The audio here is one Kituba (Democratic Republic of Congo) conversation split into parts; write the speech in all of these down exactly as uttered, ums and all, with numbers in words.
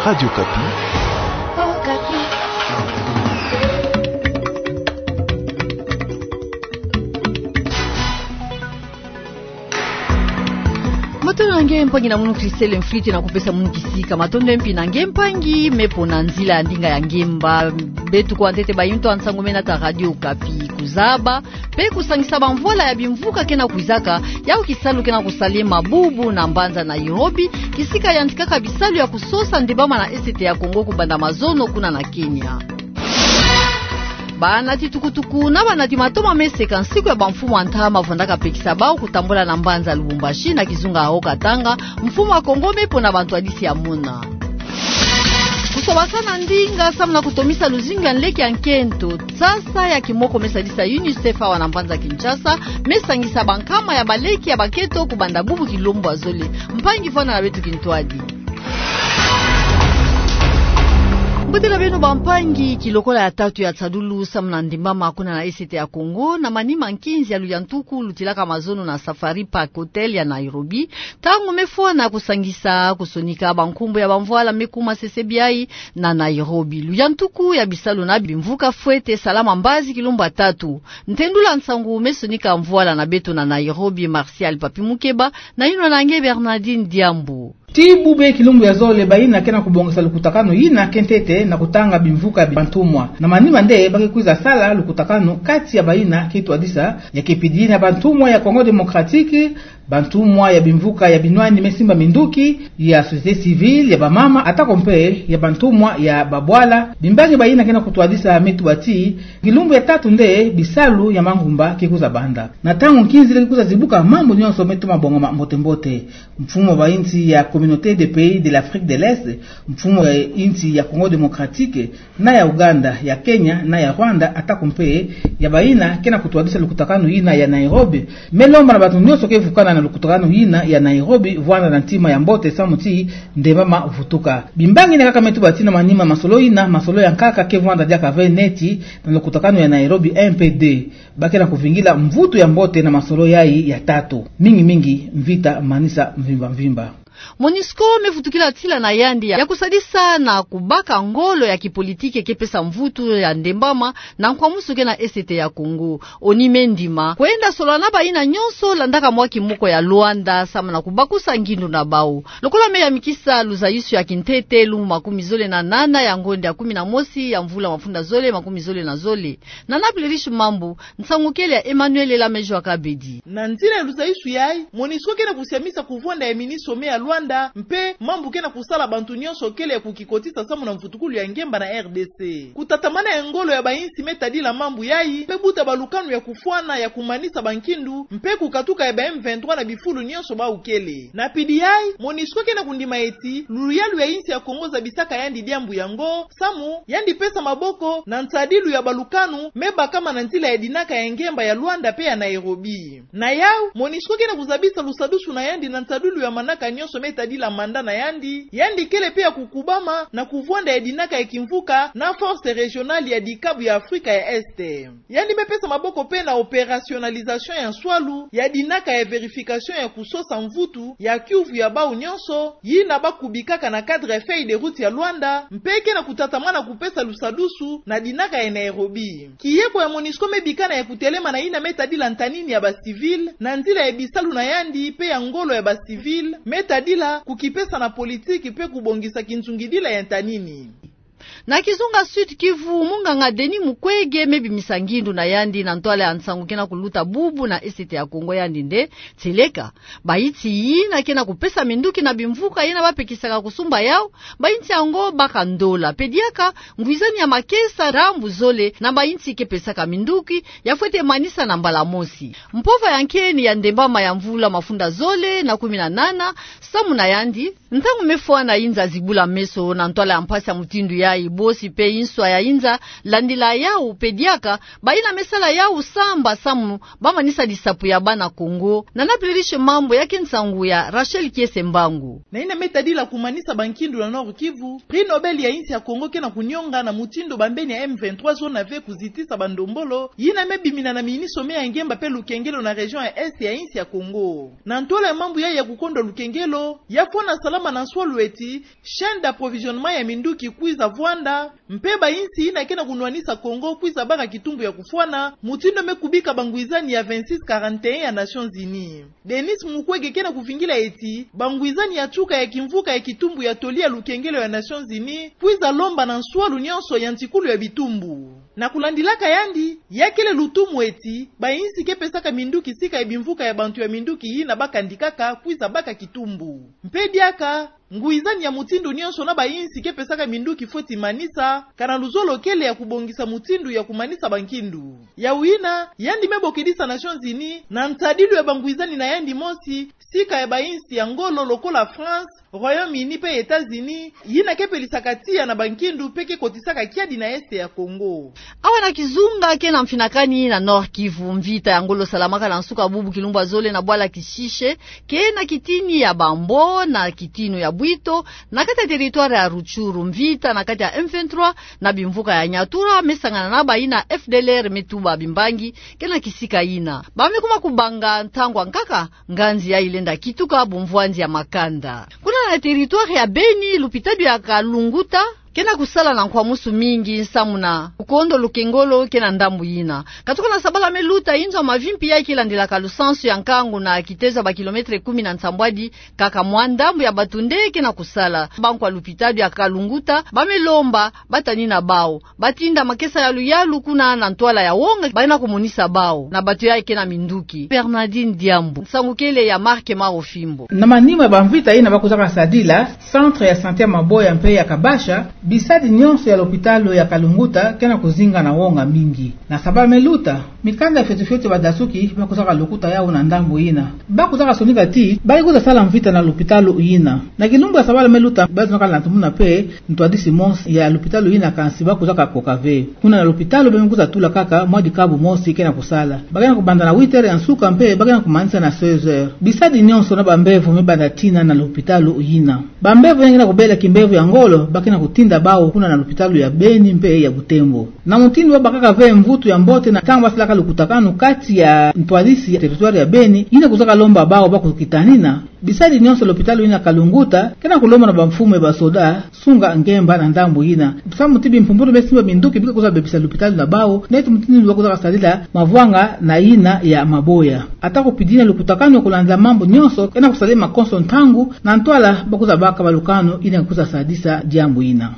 Radio Okapi. Matondo na nge mpangi na munu Christelle Mfwiti na kupesa munu kisika. Matondo mpe na nge mpangi me pona nzila ya ndinga ya ngemba. Beto kwa ntete bayintu ya nsangu me nata Radio Okapi. Kuzaba pe kusangisa bamvwala ya bimvuka ke na kwizaka, yau kisalu ke na kusalema bubu na mbanza Nairobi, kisika yantikaka bisalu ya kusosa ndembama na Est ya Congo kubanda mazono kuna na Kenya. Banati tukutuku na banati mato ma meseka nsiku ya bamfumu ya ntama vwandaka pekisa bau kutambula na mbanza Lubumbashi na kizunga Haut-Katanga, mfumu ya Congo me pona bantwadisi ya mona. Kusobasana ndinga samu na kutomisa luzingu ya nleke ya nkento. Sasa ya kimoko me sadisa UNICEF awa na mbanza Kinshasa, me sangisa bankama ya baleke ya bakento kubanda bubu kilombo ya zole. Mpangi vwanda na beto kintwadi. Mbote na beno bampangi, kilokola ya tatu ya nsadulu samu na ndembama kuna na Est ya Congo, na manima nkinzi ya luyantuku lutilaka mazono na Safari Park Hotel ya Nairobi, ntangu me fwana kusangisa kusonika bankumbu ya bamvwala me kuma sesebiai na Nairobi. Luyantuku ya bisalu na bimvuka fwete salama mbazi kilumbu ya tatu. Ntendula nsangu me sonika mvwala na beto na Nairobi, Martial Papi Mukeba, na yinwa na nge Bernardine Diambu. Ti bubu kilumbu ya zole bayina ke na kubongisa lukutakanu yina ke ntete na kutanga bimvuka ya bantumwa. Na manima nde ba ke kwiza sala lukutakanu kati ya bayina ke twadisa, ya ke pidi na bantumwa ya Congo Démocratique, bantumwa ya bimvuka ya binwani me simba minduki, ya société civile, ya bamama, atako mpe ya bantumwa ya babwala. Bimbangi bayina ke na kutwadisa me tuba ti, kilumbu ya tatu nde bisalu ya mangumba ke kwiza banda. Na ntangu nkinzi le ke kwiza zibuka mambu nyonso me toma bongama mbote-mbote. Mfumu wa bayinsi ya Communauté des Pays de l'Afrique de l'Est, mfumu wa yinsi ya Congo Démocratique, na ya Ouganda, ya Kenya, na ya Rwanda, atako mpe ya bayina ke na kutwadisa lukutakanu yina ya Nairobi, me lomba na bato nyonso ke vukana na lukutakanu yina ya Nairobi vwanda na ntima ya mbote samu ti ndembama vutuka. Bimbangi yina kaka me tuba ti na manima masolo yina, masolo ya nkaka ke vwanda diaka ve neti na lukutakanu ya Nairobi un peu deux. Ba ke na kuvingila mvutu ya mbote na masolo yayi ya tatu. Mingi-mingi mvita manisa mvimba-mvimba. MONUSCO me vutukila tila na yandi ya kusadisa na kubaka ngolo ya kipolitiki ke pesa mvutu ya ndembama na nkwamusu ke na Est ya Congo. ONU me ndima kwenda solola na bayina nyonso landaka mwa kimoko ya Luanda samu na kubakusa ngindu na bau. Lokola me yamikisa luzayusu ya kintete lumbu makumi zole na nana ya ngonde ya kumi na mosi ya mvula mafunda zole makumi zole na zole. Na Naples Riche Mambu, nsangu kele ya Emmanuel Elamejo Akabedi. Na nzila ya luzayusu yayi, MONUSCO ke na kusiamisa kuvwanda ya mini sommet ya Luanda, mpe mambu ke na kusala bantu nyonso kele ya kukikotisa samu na mvutukulu ya ngemba na R D C. Kutatamana ya ngolo ya bayinsi me tadila mambu yayi, mpe buta balukanu ya kufwana ya kumanisa bankindu, mpe kukatuka ya ba M vingt-trois na bifulu nyonso bau kele. Na pidi yayi, MONUSCO ke na kundima eti, luyalu ya yinsi ya Congo zabisaka yandi diambu yango, samu yandi pesa maboko na nsadilu ya balukanu me bakama na nzila ya dinaka ya ngemba ya Luanda mpe ya Nairobi. Na yau, MONUSCO ke na kuzabisa lusadusu na yandi na nsadilu ya manaka nyonso me tadila manda na yandi, yandi kele mpe ya kukubama na kuvwanda ya dinaka ya kimvuka na force régionale ya dikabu ya Afrika ya Est. Yandi me pesa maboko mpe na opérationnalisation ya nswalu ya dinaka ya vérification ya kusosa mvutu ya kiuvu ya bau nyonso, yina ba kubikaka na cadre ya feuille de route ya Luanda, mpe ke na kutatamana kupesa lusadusu na dinaka ya Nairobi. Kiyeko ya MONUSCO me bikana ya kutelema na yina me tadila ntanini ya ba civil, na nzila ya bisalu na yandi mpe ya ngolo ya ba civil, me tadila kukipesa na politiki mpe kubongisa kinzungidila ya ntanini. Na kizunga Sud-Kivu, munganga Denis Mukwege me bimisa ngindu na yandi na ntwala ya nsangu ke na kuluta bubu na Est ya Congo, yandi nde: Tieleka bayinsi yina ke na kupesa minduki na bimvuka yina ba pekisaka kusumba yau, bayinsi yango baka ndola. Mpe diaka ngwizani ya makesa ndambu zole na bayinsi ke pesaka minduki, ya fwete manisa na mbala mosi. Mpova ya nkeni ya ndembama ya mvula mafunda zole na kumi na nana, samu na yandi, ntangu me fwana yinza zibula meso na ntwala ya mpasi ya mutindu ya Ibosi pe inswa ya inza, landila yau pe diaka, bayina me sala yau samba samu bamanisa lisapo ya bana Kongo. Nana pilirishe mambu ya ke nsangu ya Rachel Kiese Mbangu. Na yina me tadila kumanisa bankindu na Nord-Kivu, prix Nobel ya insi ya Kongo ke na kunionga na mutindu bambeni ya M vingt-trois zona ve kuzitisa bandombolo yina me bimina na minisome ya ngemba pe lukengelo na région ya Est ya insi ya Kongo. Na ntwala ya mambu yayi ya kukondwa lukengelo, ya fwana salama na nswalu eti chaîne d'approvisionnement ya minduki kwiza vwanda, mpe ba insi yina ke na kunwanisa Kongo kwiza baka kitumbu ya kufwana, mutindu me kubika bangwizani ya vingt-six quarante et un ya Nations Unies. Denis Mukwege ke na kuvingila eti bangwizani ya tuka ya kimvuka ya kitumbu ya toli ya lukengelo ya Nations Unies kwiza lomba na nswalu nyonso ya ntikulu ya bitumbu. Na kulandilaka yandi, ya kele lutumu eti ba insi ke pesaka minduki sika ya bimvuka ya bantu ya minduki yina bakandikaka kwiza baka kitumbu. Mpe diaka, ngwizani ya mutindu nyonso na ba insi ke pesaka minduki fweti manisa, kana luzolo kele ya kubongisa mutindu ya kumanisa bankindu. Yau yina, yandi me bokedisa Nations Unies na ntadilu ya bangwizani na yandi mosi, sika ya ba insi ya ngolo lokola France, Royaume-Uni pe États-Unis, yina ke pelisaka tiya na bankindu pe ke kotisaka kiadi na Est ya Kongo. Awa na kizunga ke na mfinakani na Nord-Kivu, mvita ya ngolo salamaka na nsuka bubu kilumbu ya zole na bwala Kishishe, ke na kitini ya Bambo na kitini ya Bwito, na kati ya territoire ya Rutshuru. Mvita na kati ya M vingt-trois na bimvuka ya Nyatura me sangana na bayina F D L R me tuba bimbangi ke na kisika yina. Ba me kuma kubanga ntangu ya nkaka, nganzi yayi lenda kituka bumvwanzi ya makanda. Kuna na territoire ya Beni, lupitalu ya Kalunguta ke na kusala na nkwamusu mingi nsamu na kukondo lukengolo ke na ndambu yina. Katuka na sabala me luta, inzo ya mavimpi yayi ke landilaka lusansu ya nkangu na kitezo ya ba kilomètre kumi na nsambwadi kaka mwa ndambu ya bato nde ke na kusala. Bankwa lupitalu ya Kalunguta ba me lomba batanina bau batinda makesa yalu yalu kuna na ntwala ya wonga ba na kumonisa bau na bato yayi ke na minduki. Bernardine Diambu, nsangu kele ya Marc Maro Fimbo. Na manima ya bamvita yina ba kuzaka sadila, centre ya santé ya Maboya mpe ya Kabasha, bisadi nyonso ya lopitalo ya Kalunguta ke na kuzinga na wonga mingi. Na sabala me luta, mikanda fioti fioti ya badasuki ba kuzaka lukuta yau na ndambu yina. Ba kuzaka sonika ti ba ke kwiza sala mvita na lopitalo yina. Na kilumbu ya sabala me luta, ba zonaka na tumuna mpe ntwadisi mosi ya lopitalo yina, kansi ba kuzaka koka ve. Kuna na lopitalo ba me kwiza tula kaka mwa dikabu mosi ke na kusala. Ba ke na kubanda na huit heures ya nsuka mpe ba ke na kumanisa na seize heures. Bisadi nyonso na bambevo me banda tina na lopitalo yina. Bambevo yina ke na kubela kimbevo ya ngolo ba ke na kutinda bau kuna na lopitalo ya Beni mpe ya Butembo. Na mutindu ba bakaka ve mvutu ya mbote na ntangu ba salaka lukutakanu kati ya ntwadisi ya territoire ya Beni, yina kuzaka lomba bau ba kukitanina, bisadi nyonso lopitalo yina Kalunguta ke na kulomba na bamfumu ya basoda sunga ngemba na ndambu yina. Samu ti bimpumbulu me simba minduki bi ke kwiza bebisa lopitalo na bau, neti mutindu ba kuzaka sadila mavwanga na yina ya Maboya. Ata kupidina lukutakanu ya kulanda mambu nyonso ke na kusadila makonso ntangu, na ntwala ba kwiza baka balukanu yina kwiza sadisa diambu yina.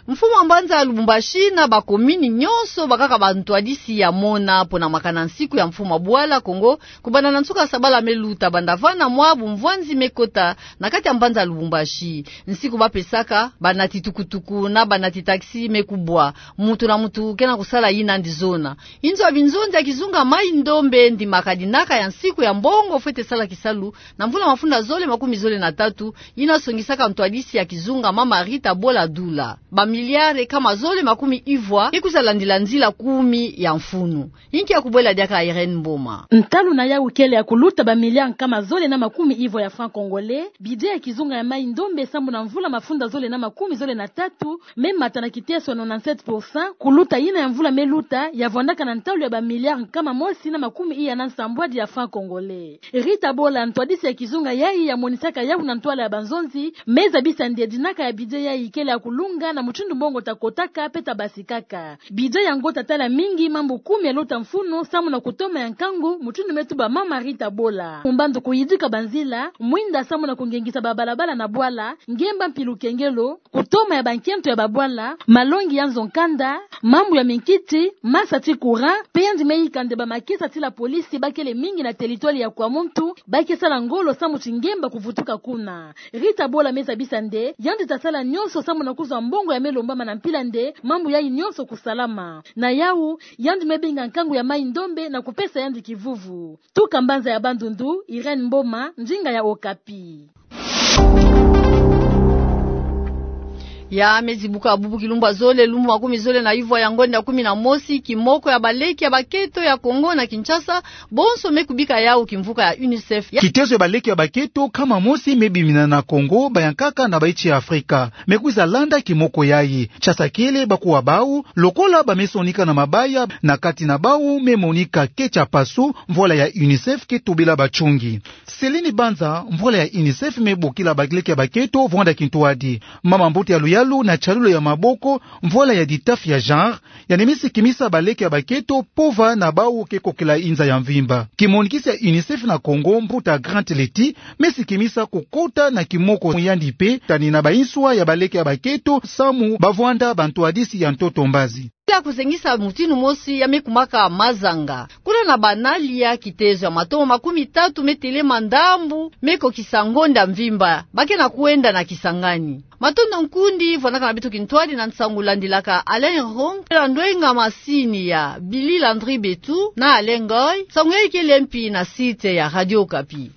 Mfumu wa mbanza ya Lubumbashi na bakomini nyonso bakaka bantwadisi ya mona pona makana nsiku ya mfumu wa bwala Kongo, kubanda na nsuka sabala me luta banda vana mwa bumvwanzi me kota na kati ya mbanza ya Lubumbashi. Nsiku ba pesaka, banati tukutuku na banati taxi me kubwa. Mutu na mutu ke na kusala yina andi zona. Inzo ya binzonzi ya kizunga Mai-Ndombe ndimaka dinaka ya nsiku ya mbongo fwete sala kisalu na mvula mafunda zole makumi zole na tatu, yina songisaka ntwadisi ya kizunga Mama Rita Bola Dula. Bamiliare kama zole makumi ivwa ke kwiza landila nzila kumi ya mfunu. Inki ya kubwela diaka Irène Mboma. Ntalu na yau kele ya kuluta bamiliare kama zole na makumi ivwa ya francs congolais, budget ya kizunga ya Mai-Ndombe samu na mvula mafunda zole na makumi zole na tatu, me mata na kiteso ya nonante-sept pour cent, kuluta yina ya mvula me luta, ya vwandaka na ntalu ya bamiliare kama mosi na makumi iya na nsambwadi ya francs congolais. Rita Bola, ntwadisi ya kizunga yayi, ya monisaka yau na ntwala ya banzonzi, me zabisa nde dinaka ya budget yayi kele ya kulunga na mutindu mbongo ta kotaka pe ta basikaka. Budget yango ta tala mingi mambu kumi ya luta mfunu samu na kutoma ya nkangu, mutindu me tuba Mama Rita Bola. Mbandu kuyidika banzila, mwinda samu na kungengisa babalabala na bwala, ngemba mpi lukengelo, kutoma ya bankento ya babwala, malongi ya nzo-nkanda, mambu ya minkiti, masa ti courant, pe yandi me yika nde bamakesa ti la police ba kele mingi na territoire ya Kwamuntu, ba ke sala ngolo samu ti ngemba kuvutuka kuna. Rita Bola me zabisa nde yandi ta sala nyonso samu na kuzwa mbongo ya me lombama na mpila nde mambu yayi nyonso kusalama. Na yau, yandi me benga nkangu ya Mai-Ndombe na kupesa yandi kivuvu. Tuka mbanza ya Bandundu, Irène Mboma, ndinga ya Okapi. Ya mezi buka bubu kilumbu ya zole lumbu makumi zole na ivwa ya ngonda ya kumi na mosi, kimoko ya baleki ya baketo ya Kongo na Kinshasa, bonso me kubika yawu kimvuka ya UNICEF. Kitezo ya baleki ya baketo nkama mosi me bimina na Kongo, bayankaka na bainsi ya Afrika. Me kwiza landa kimoko yayi. Nshasa kele bakuwa bawu, lokola ba me sonika na mabaya, na kati na bawu me monika Ketia Pasu, mvwala ya UNICEF ke tobela batsongi. Céline Banza, mvwala ya UNICEF me bokila baleki ya baketo vwanda kintwadi. Mama mbote ya luyalu na tialulu ya maboko, mvwala ya ditafi ya genre, yandi me sikimisa baleki ya baketo pova na bawu ke kokela inza ya mvimba. Kimonikisi ya UNICEF na Kongo, mbuta Grant Letty, me sikimisa kokota na kimoko yandi mpe tani na bainswa ya baleki ya baketo samu ba vwanda bantwadisi ya ntoto mbazi. Ya kuzengisa mutinu mosi ya me kumaka mazanga. Kuna na Banalia, kitezo ya matomo makumi tatu me telema ndambu, me kokisa ngonda mvimba ba ke na kwenda na Kisangani. Matondo nkundi, vwanakana beto kintwadi na nsangu landilaka Alain Hong, la ndwenga masini ya Billy Landry Betu na Alain Ngoy, nsangu yayi kele mpi na site ya Radio Okapi.